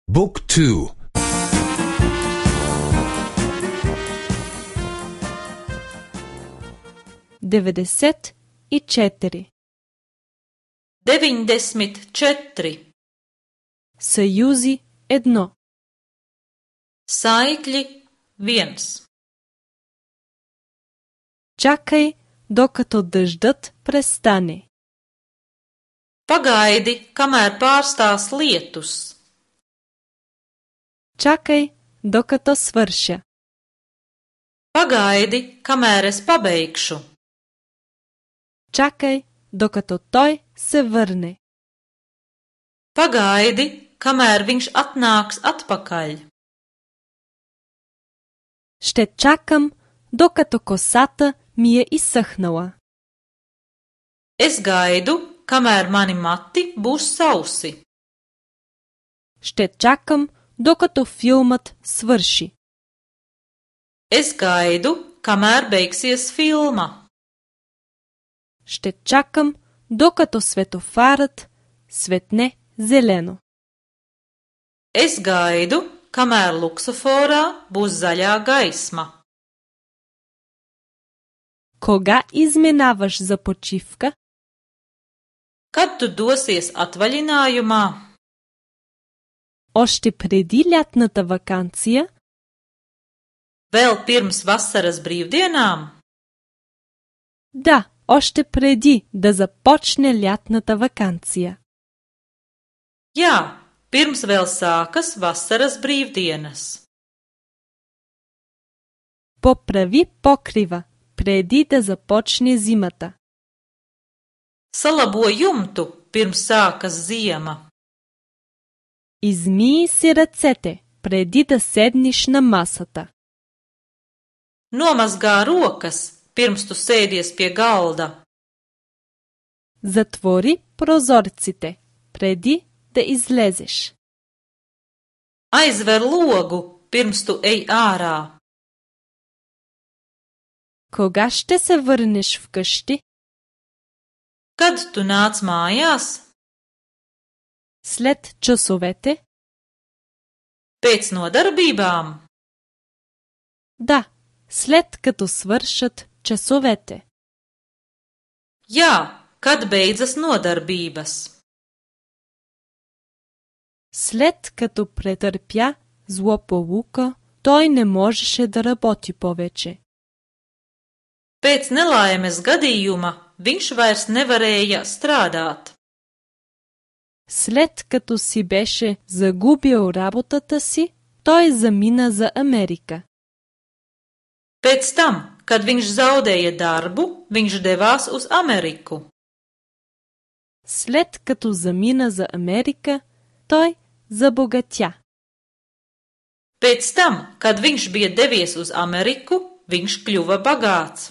Book 2. 94. 94. Съюзи 1. Saikļi 1. Чакай, докато дъждът престане. Pagaidi, kamēr pārstās lietus. Чакай, докато свърша. Pagaidi, kamēr es pabeigšu. Чакай, докато той се върне. Pagaidi, kamēr viņš atnāks atpakaļ. Ще чакам, докато косата ми е изсъхнала. Es gaidu, kamēr mani mati būs sausi. Ще чакам, докато филмът свърши. Es gaidu, kamēr beigsies filma. Ще чакам, докато светофарът светне зелено. Es gaidu, kamēr luksuforā būs zaļā gaisma. Кога изминаваш за почивка? Kad tu dosies atvaļinājumā? Още преди лятната ваканция? Vēl pirms vasaras brīvdienām? Да, още преди да започне лятната ваканция. Jā, pirms vēl sākas vasaras brīvdienas. Поправи покрива, преди да започне зимата. Salabo jumtu, pirms sākas ziema. Измий си ръцете, преди да седнеш на масата. Nomazgā rokas, pirms tu sēdies pie galda. Затвори прозорците, преди да излезеш. Aizver logu, pirms tu ej ārā. Кога ще се върнеш вкъщи? Kad tu nāc mājās? След часовете? Pēc nodarbībām? Да, след като свършат часовете. Jā, kad beidzas nodarbības. След като претърпя злополука, той не можеше да работи повече. Pēc nelaimes gadījuma viņš vairs nevarēja strādāt. След като си беше загубил работата си, той замина за Америка. Pēc tam, kad viņš zaudēja darbu, viņš devās uz Ameriku. След като замина за Америка, той забогатя. Pēc tam, kad viņš bija devies uz Ameriku, viņš kļuva bagāts.